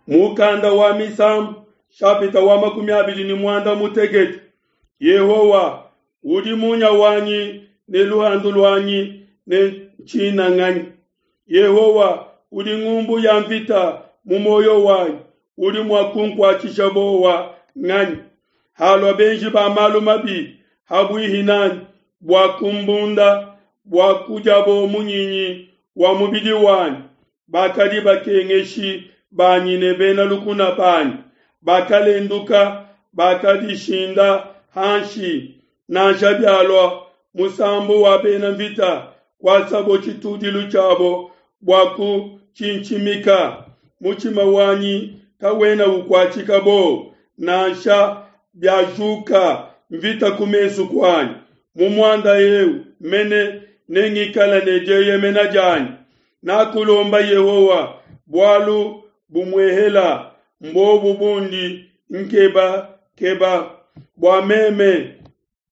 Mukanda wa Misambu shapita wa 26. Yehowa udi munya wanyi ne luhandu luanyi ne ntshinanganyi. Yehowa udi ngumbu ya mvita mu muoyo wanyi, udi mua kunkuatshisha bowa nganyi? Halua benji ba malu mabi habuihi nanyi bua kumbunda, bua kudiabo munyinyi wa mubidi wanyi, bakadi bakengeshi banyi ne bena lukuna banyi bakalenduka, bakadishinda hanshi. Nansha bialua musambu wa bena mvita kuasabo tshitudilu tshiabo bua kutshintshimika, mutshima wanyi kawena ukuatshika bowa, nansha biajuka mvita ku mesu kuanyi. Mu muanda eu mene nengikale ne dieyemena dianyi. Nakulomba Yehowa bualu bumuehela, mbobu bundi nkeba keba, bua meme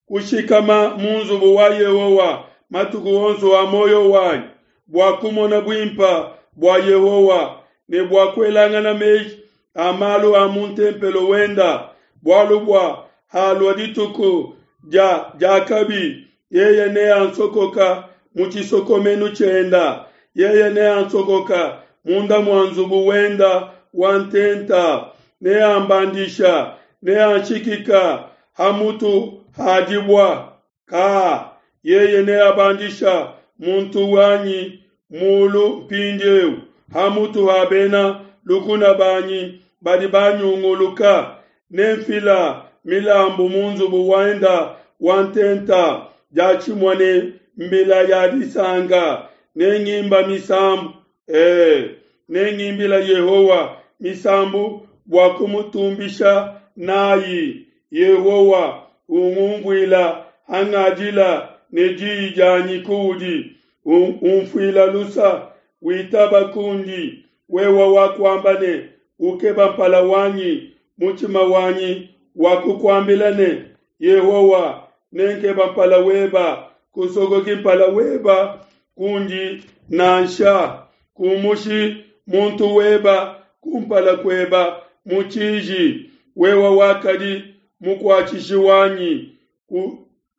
kushikama mu nzubu wa Yehowa matuku onso a muoyo wanyi, bua kumona buimpa bua Yehowa ne bua kuelangana meji a malu a mu ntempelo wenda. Bualu bua halua dituku dia diakabi, yeye neansokoka mu tshisokomenu tshienda, yeye neansokoka munda mua nzubu wenda wa ntenta, neambandisha, neanshikika ha mutu ha dibua. Ka yeye neabandisha muntu wanyi mulu mpindieu ha mutu ha bena lukuna banyi badi banyunguluka. Nemfila milambu mu nzubu wenda wa ntenta diatshimue ne mbila ya disanka, nengimba misambu, nengimbila Yehowa misambu bua kumutumbisha nayi. Yehowa ungumvuila hangadila ne diyi dianyi kuudi, umfuila lusa, witaba kundi. Wewe wakuamba ne, ukeba mpala wanyi, mutshima wanyi wakukuambila ne, Yehowa, nenkeba mpala weba, kusokoki mpala weba kundi nansha. Kumushi muntu weba kumpala kueba mu tshiji. Wewe wakadi mukuatshishi wanyi,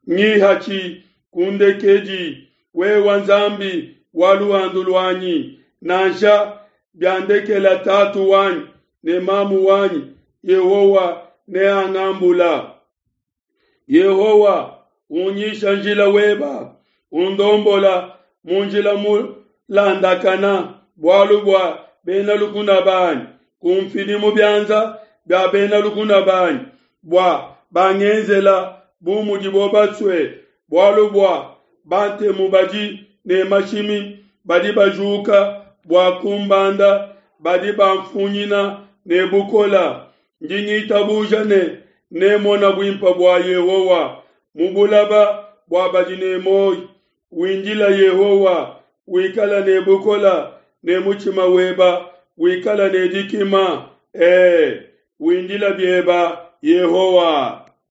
ngihatshi kundekedi. Wewe Nzambi wa luhandu luanyi, nansha biandekela tatu wanyi ne mamu wanyi, Yehowa neangambula. Yehowa, unyisha njila weba, undombola mu njila mulandakana, bualu bua bena lukuna banyi, kumfidi mu bianza bia bena lukuna banyi, bua bangenzela bu mudibo basue, bualu bua bantemu badi ne mashimi badi bajuka bua kumbanda, badi bamfunyina ne bukola. Ndi ngitabuja ne nemona buimpa bua Yehowa mu bulaba bua badi ne muoyo. Windila Yehowa, wikala ne bukola ne mutshima weba wikala ne dikima. Windila bieba Yehowa.